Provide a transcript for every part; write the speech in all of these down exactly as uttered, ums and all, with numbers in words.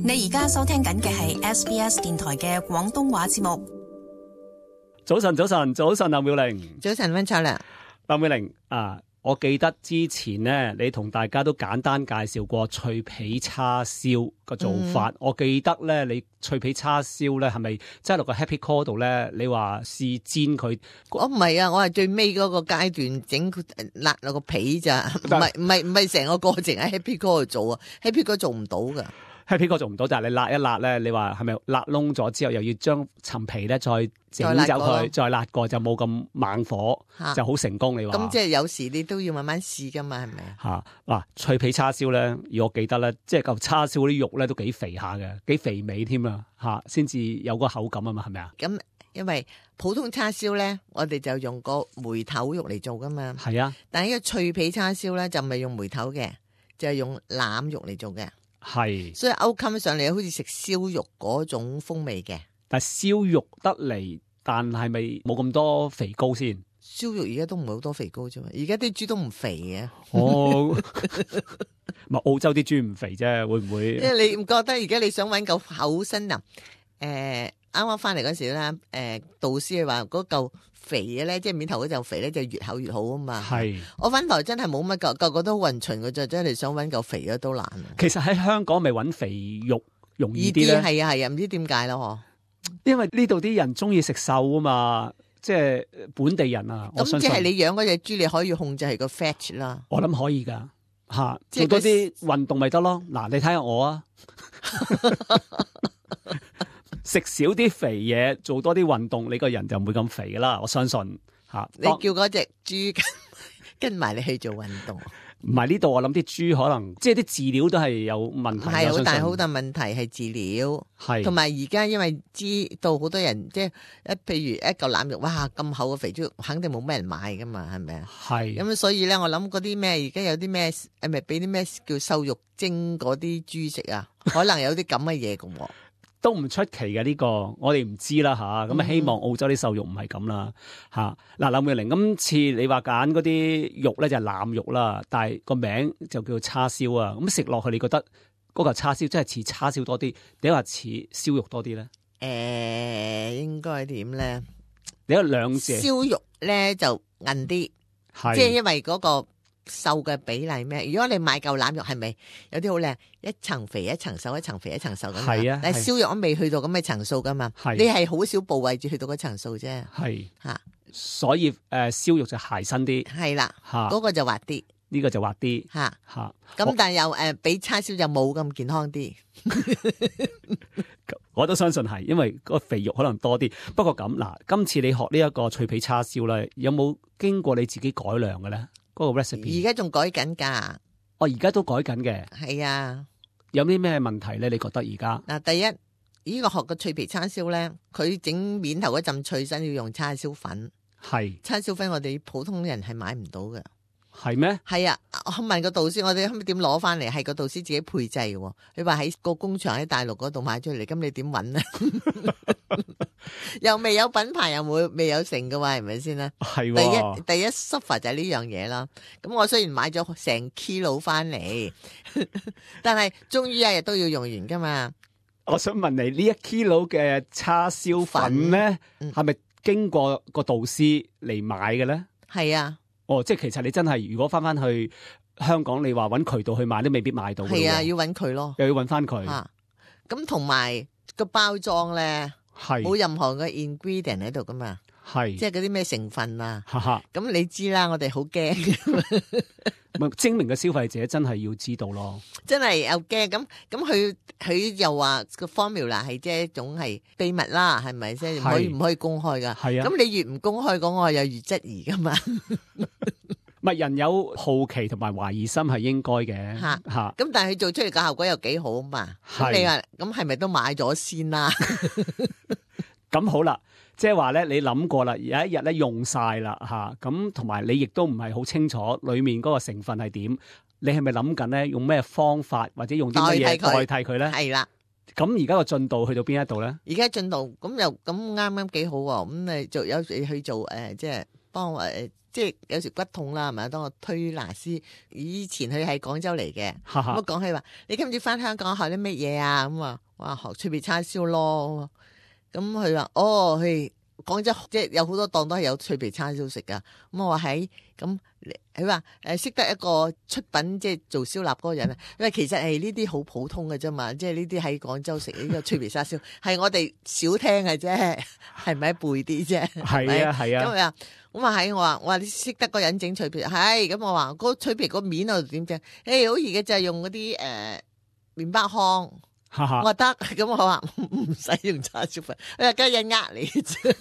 你而家收聽緊嘅係 S B S 電台嘅廣東話節目。早晨，早晨，早晨，劉妙玲。早晨，溫秋良。劉妙玲啊，我記得之前呢，你同大家都簡單介紹過脆皮叉燒個做法。嗯、我記得咧，你脆皮叉燒咧係咪即係落個 Happy Core 度咧？你話試煎佢？我唔係啊，我係最尾嗰個階段整辣落個皮咋，唔係唔係唔係成個過程喺 Happy Core 度做啊 ，Happy Core 做唔到噶。Happy Core 做唔到，但係你辣一辣咧，你話係咪辣燶咗之後，又要將層皮咧再整走佢，再辣過就冇咁猛火，啊、就好成功。你話咁即係有時你都要慢慢試噶嘛，係咪啊？嚇嗱，脆皮叉燒咧，而我記得咧，即係嚿叉燒啲肉咧都幾肥下嘅，幾肥美添啊嚇，先至有個口感啊嘛，係咪啊？咁因為普通叉燒咧，我哋就用個梅頭肉嚟做噶嘛。係啊，但係呢個脆皮叉燒咧就唔係用梅頭嘅，就係用腩肉嚟做嘅。係，所以勾襟上嚟好似食燒肉嗰種風味嘅。但係燒肉得嚟，但係咪冇咁多肥膏先？燒肉而家都唔係好多肥膏啫嘛，而家啲豬都唔肥嘅。哦，咪澳洲啲豬唔肥啫，會唔會？因為你唔覺得而家你想搵嚿厚身啊？誒、呃，啱啱翻嚟嗰時咧，誒、呃，導師話嗰嚿肥嘅咧，即係面頭嗰嚿肥咧，就越厚越好啊嘛。係，我翻台真係冇乜嚿，個個都好勻循嘅啫，真係想搵嚿肥嘅都難。其實喺香港咪搵肥肉容易啲咧？係啊係啊，唔知點解咯嗬？因為呢度啲人中意食瘦啊嘛，即係本地人啊。咁即係你養嗰隻豬，你可以控制係個 fat 啦。我諗可以噶吓，做多啲運動咪得咯。嗱，你睇下我啊。食少啲肥嘢，做多啲運動，你個人就唔會咁肥噶啦。我相信吓。你叫嗰隻豬跟埋你去做運動，唔係呢度。我諗啲豬可能即係啲飼料都係有問題，係好大好大問題係飼料，係同埋而家因為知道好多人即係一譬如一嚿腩肉，哇咁厚嘅肥豬肉，肯定冇咩人買噶嘛，係咪啊？係咁所以咧，我諗嗰啲咩而家有啲咩誒，咪俾啲咩叫瘦肉精嗰啲豬食啊？可能有啲咁嘅嘢噶。都唔出奇嘅呢、這個，我哋唔知啦吓。咁啊，希望澳洲啲瘦肉唔係咁啦吓。嗱、嗯，劉妙玲，今次你話揀嗰啲肉咧就係腩肉啦，但係個名就叫叉燒啊。咁食落去，你覺得嗰嚿叉燒真係似叉燒多啲，定係話似燒肉多啲咧？誒、欸，應該點咧？你有兩隻燒肉咧就韌啲，即係因為嗰、那個。瘦嘅比例咩？如果你買嚿腩肉，係咪有啲好靚？一層肥一層瘦，一層肥一層瘦咁。係啊，但係燒肉都未去到咁嘅層數噶嘛。係，你係好少部位至去到嗰層數啫。係吓，所以誒，燒、呃、肉就鞋身啲。係啦，吓，嗰個就滑啲，呢個就滑啲。吓吓，咁但係又誒、呃，比叉燒就冇咁健康啲。我都相信係，因為個肥肉可能多啲。不過咁嗱，今次你學呢一個脆皮叉燒咧，有冇經過你自己改良嘅咧？嗰個 recipe 而家仲改緊噶，我而家都改緊嘅。係啊，有啲咩問題咧？你覺得而家嗱，第一呢、這個學嘅脆皮叉燒咧，佢整面頭嗰陣脆身要用叉燒粉，係叉燒粉，我哋普通人係買唔到嘅。係咩？係啊，我問個導師，我哋可唔可以點攞翻嚟？係個導師自己配製嘅。你話喺個工場喺大陸嗰度買出嚟，咁你點搵咧？又未有品牌，又冇未有成嘅話，係咪先咧？係第一第一 suffer 就係呢樣嘢啦。咁我雖然買咗成 kilo 翻嚟，但係終於一日都要用完噶嘛。我想問你呢一 kilo 嘅叉燒粉咧，係咪、嗯、經過個導師嚟買嘅咧？係啊。哦，即係其實你真係如果翻翻去香港，你話搵渠道去買都未必買到。係啊，要搵佢咯，又要搵翻佢。咁同埋個包裝咧，係冇任何嘅 ingredient 喺度噶嘛，係即係嗰啲咩成分啊。咁你知啦，我哋好驚。精明嘅消費者真係要知道咯，真係又驚咁咁佢佢又話個 formula 係即係一種係秘密啦，係咪先？唔可以唔可以公開噶？係啊，咁你越唔公開講，我又越質疑噶嘛。唔係人有好奇同埋懷疑心係應該嘅吓吓，咁但係佢做出嚟嘅效果又幾好啊嘛。咁你話咁係咪都買咗先啦？咁好啦。即係話咧，你諗過啦，有一日咧用晒啦吓，咁同埋你亦都唔係好清楚裏面嗰個成分係點，你係咪諗緊咧用咩方法或者用啲乜嘢代替佢咧？係啦，咁而家個進度去到邊一度咧？而家進度咁又咁啱啱幾好喎，咁你做有去做誒、呃，即係幫我誒，即係有時骨痛啦，係咪？當我推拿師，以前佢喺廣州嚟嘅，咁我講起話，你今次翻香港學啲乜嘢啊？咁啊，哇，學脆皮叉燒咯。咁佢話，哦，佢。廣州即係有好多檔都係有脆皮叉燒食噶，咁我話喺咁，佢話誒識得一個出品即係做燒臘嗰個人啊，因為其實係呢啲好普通嘅啫嘛，即係呢啲喺廣州食呢個脆皮叉燒係我哋少聽嘅啫，係咪背啲啫？係啊係啊，咁啊咁啊喺我話我話你識得個人整脆皮係，咁我話嗰個脆皮個面我點整？誒好易嘅就係用嗰啲誒麵包糠。我話得，咁我話唔使用叉燒粉，佢話梗係呃你啫，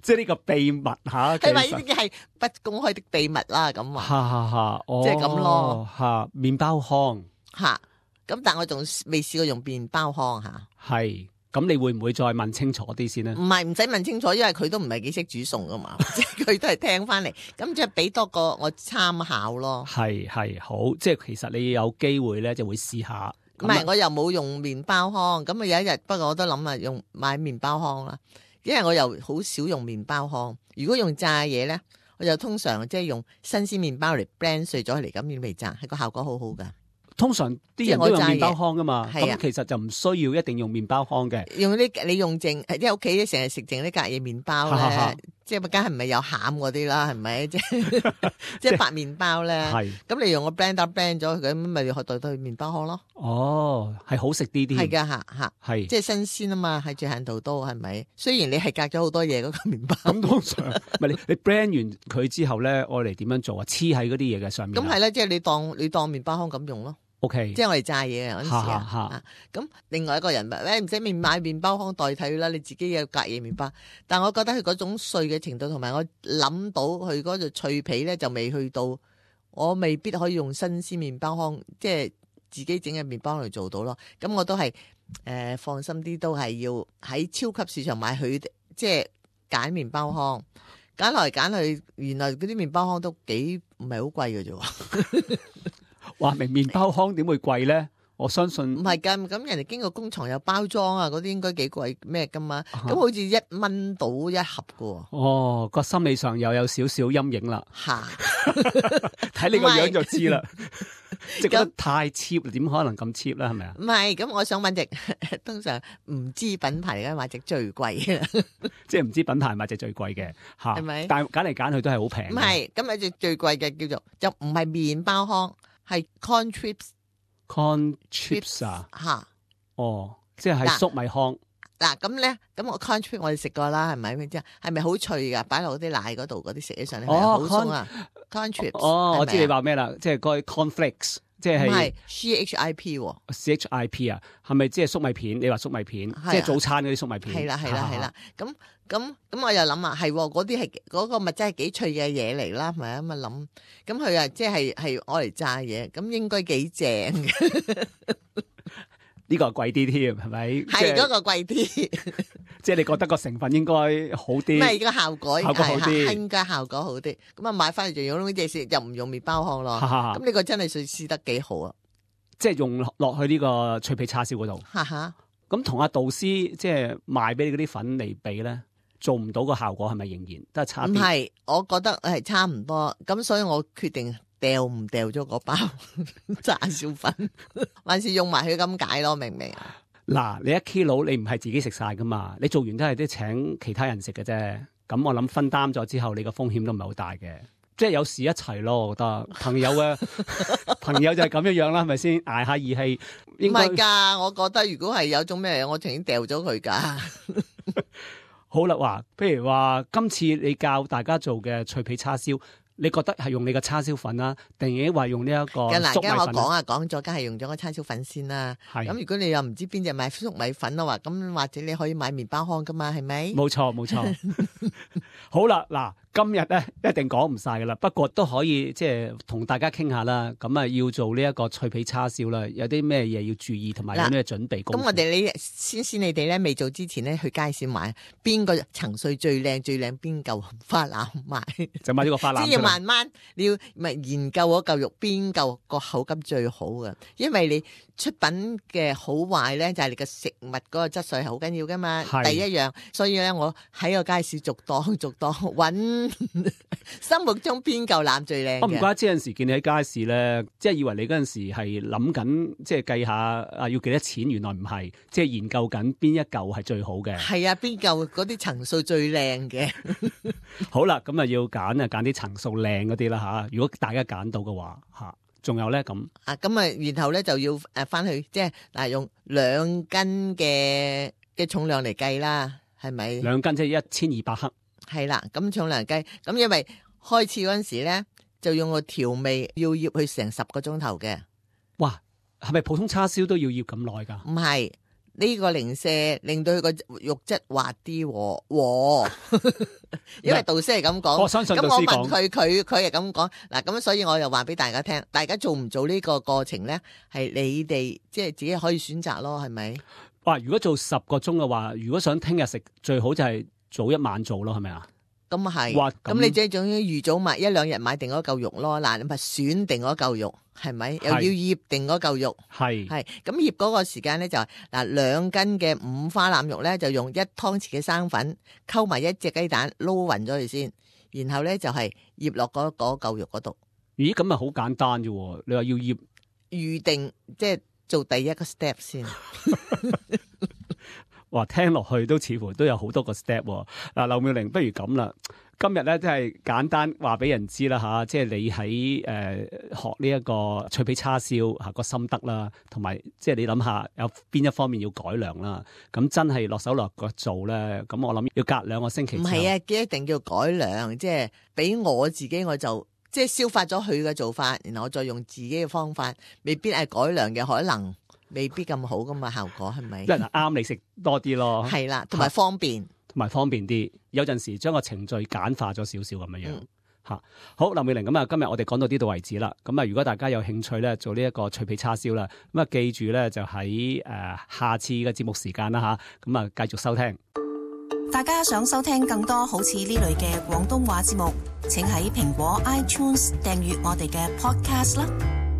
即係呢個秘密吓，係咪呢啲係不公開的秘密啦？咁話，即係咁咯，吓麵包糠，吓咁，但我仲未試過用麵包糠吓，係咁，你會唔會再問清楚啲先呢？唔係唔使問清楚，因為佢都唔係幾識煮餸噶嘛，即係佢都係聽翻嚟，咁即係俾多個我參考咯。係係好，即係其實你有機會咧就會試下。唔係，我又冇用麵包糠，咁啊有一日，不過我都諗啊用買麵包糠啦，因為我又好少用麵包糠。如果用炸嘢咧，我就通常即係用新鮮麵包嚟 blend 碎咗嚟咁樣嚟炸，係個效果好好噶。通常啲人都用麵包糠噶嘛，咁其實就唔需要一定用麵包糠嘅。用啲你用剩，即係屋企成日食剩啲隔夜麵包咧，即係梗係唔係有餡嗰啲啦，係咪？即係即係白麵包咧。係咁你用個 blender blend 咗佢，咁咪學代替麵包糠咯。哦，係好食啲啲。係噶吓吓，係即係新鮮啊嘛，係最限度都係咪？雖然你係隔咗好多嘢嗰個麵包。咁通常唔係你你 blend 完佢之後咧，我嚟點樣做啊？黐喺嗰啲嘢嘅上面。咁係啦，即係你當你當麵包糠咁用咯。O K， 即係我哋炸嘢嗰陣時啊，咁另外一個人話，誒唔使面買麵包糠代替啦，你自己有隔夜麵包。但係我覺得佢嗰種碎嘅程度，同埋我諗到佢嗰個脆皮咧，就未去到，我未必可以用新鮮麵包糠，即係自己整嘅麵包嚟做到咯。咁我都係誒、呃、放心啲，都係要喺超級市場買佢，即係揀麵包糠，揀來揀去，原來嗰啲麵包糠都幾唔係好貴嘅啫。話明麵包糠點會貴咧？我相信唔係㗎，咁人哋經過工廠有包裝啊，嗰啲應該幾貴咩㗎嘛？咁、啊、好似一蚊到一盒㗎喎。哦，個心理上又有少少陰影啦。嚇！睇你個樣就知啦。即係覺得太 cheap，點可能咁 cheap 啦？係咪啊？唔係，咁我想揾隻通常唔知品牌嚟嘅買隻最貴嘅，即係唔知品牌買隻最貴嘅嚇。係咪？但係揀嚟揀去都係好平。唔係，咁有隻最貴嘅叫做就唔係麵包糠。係 corn chips，corn chips 啊吓，哦，即係粟米糠。嗱咁咧，咁我 corn chips 我哋食過啦，係咪？咩啫？係咪好脆噶？擺落啲奶嗰度，嗰啲食起上嚟係好鬆啊 ！corn chips，哦，我知你話咩啦，即係嗰啲 cornflakes，即係唔係 C H I P，C H I P 啊，係咪即係粟米片？你話粟米片，即係早餐嗰啲粟米片。係啦，係啦，係啦，咁。咁咁我又諗啊，係嗰啲係嗰個物質係幾脆嘅嘢嚟啦，係咪啊？咁啊諗，咁佢啊即係係我嚟炸嘢，咁應該幾正嘅。呢個貴啲添，係咪？係嗰個貴啲，即係你覺得個成分應該好啲，唔係個效果，效果好啲，應該效果好啲。咁啊買翻嚟就用呢隻食，又唔用麵包糠咯。咁呢個真係試試得幾好啊！即係用落去呢個脆皮叉燒嗰度。咁同阿導師即係賣俾你嗰啲粉嚟比咧？做唔到個效果係咪仍然都係差啲？唔係，我覺得係差唔多，咁所以我決定掉唔掉咗嗰包炸燒粉，還是用埋佢咁解咯？明唔明啊？嗱，你一 kilo 你唔係自己食晒噶嘛？你做完都係啲請其他人食嘅啫。咁我諗分擔咗之後，你個風險都唔係好大嘅。即係有時一齊咯，我覺得朋友嘅朋友就係咁樣樣啦，係咪先？捱下義氣。唔係㗎，我覺得如果係有種咩嘢，我情願掉咗佢㗎。好啦，話譬如話今次你教大家做嘅脆皮叉燒，你覺得係用你嘅叉燒粉啦，定係話用呢一個粟米粉？嗱，我講啊，講咗，梗係用咗個叉燒粉先啦。係咁，如果你又唔知邊隻買粟米粉嘅話，咁或者你可以買麵包糠噶嘛，係咪？冇錯，冇錯。好啦，嗱。今日咧一定講唔晒噶啦，不過都可以即係同大家傾下啦。咁啊，要做呢一個脆皮叉燒啦，有啲咩嘢要注意，同埋有咩準備功夫？咁我哋你先先，你哋咧未做之前咧，去街市買邊個層碎最靚最靚邊嚿花腩買，就買呢個花腩。先要慢慢你要咪研究嗰嚿肉邊嚿個口感最好嘅，因為你出品嘅好壞咧就係你嘅食物嗰個質素係好緊要噶嘛。第一樣，所以咧我喺個街市逐檔逐肉多，揾心目中邊嚿腩最靚嘅。我唔怪之有陣時見你喺街市咧，即係以為你嗰陣時係諗緊，即係計下啊要幾多錢，原來唔係，即係研究緊邊一嚿係最好嘅。係啊，邊嚿嗰啲層數最靚嘅。好啦，咁啊要揀啊揀啲層數靚嗰啲啦吓。如果大家揀到嘅話吓，仲有咧咁啊，咁啊然後咧就要誒翻去即係嗱用兩斤嘅嘅重量嚟計啦。係咪兩斤即係一千二百克？係啦，咁重量計，咁因為開始嗰陣時咧，就用個調味要醃佢成十個鐘頭嘅。哇，係咪普通叉燒都要醃咁耐噶？唔係，呢個零舍令到佢個肉質滑啲，和因為導師係咁講。我相信導師講。咁我問佢，佢佢係咁講。嗱，咁所以我又話俾大家聽，大家做唔做呢個過程咧？係你哋即係自己可以選擇咯，係咪？哇！如果做十個鐘嘅話，如果想聽日食，最好就係早一晚做咯，係咪啊？咁啊係。咁你即係總之預早買一兩日買定嗰嚿肉咯。嗱，你咪選定嗰嚿肉，係咪？又要醃定嗰嚿肉。係。係。咁醃嗰個時間咧就係嗱，兩斤嘅五花腩肉咧就用一湯匙嘅生粉溝埋一隻雞蛋撈勻咗佢先，然後咧就係醃落嗰嗰嚿肉嗰度。咦？咁咪好簡單啫？你話要醃預定即係。做第一個 step 先，哇！聽落去都似乎都有好多個 step 喎。嗱，劉妙玲，不如咁啦，今日咧真係簡單話俾人知啦吓，即係你喺誒、呃、學呢一個脆皮叉燒吓個心得啦，同埋即係你諗下有邊一方面要改良啦。咁真係落手落腳做咧，咁我諗要隔兩個星期。唔係啊，一定要改良，即係俾我自己我就。即係消化咗佢嘅做法，然後我再用自己嘅方法，未必係改良嘅，可能未必咁好噶嘛，效果係咪？嗱，啱你食多啲咯，係啦，同埋方便，同埋方便啲。有陣時將個程序簡化咗少少咁樣樣吓。嗯、好，劉妙玲，咁啊，今日我哋講到呢度為止啦。咁啊，如果大家有興趣咧，做呢一個脆皮叉燒啦，咁啊，記住咧就喺誒、呃、下次嘅節目時間啦吓，咁啊繼續收聽。大家想收聽更多好似呢類嘅廣東話節目，請喺蘋果 iTunes 訂閱我哋嘅 Podcast 啦。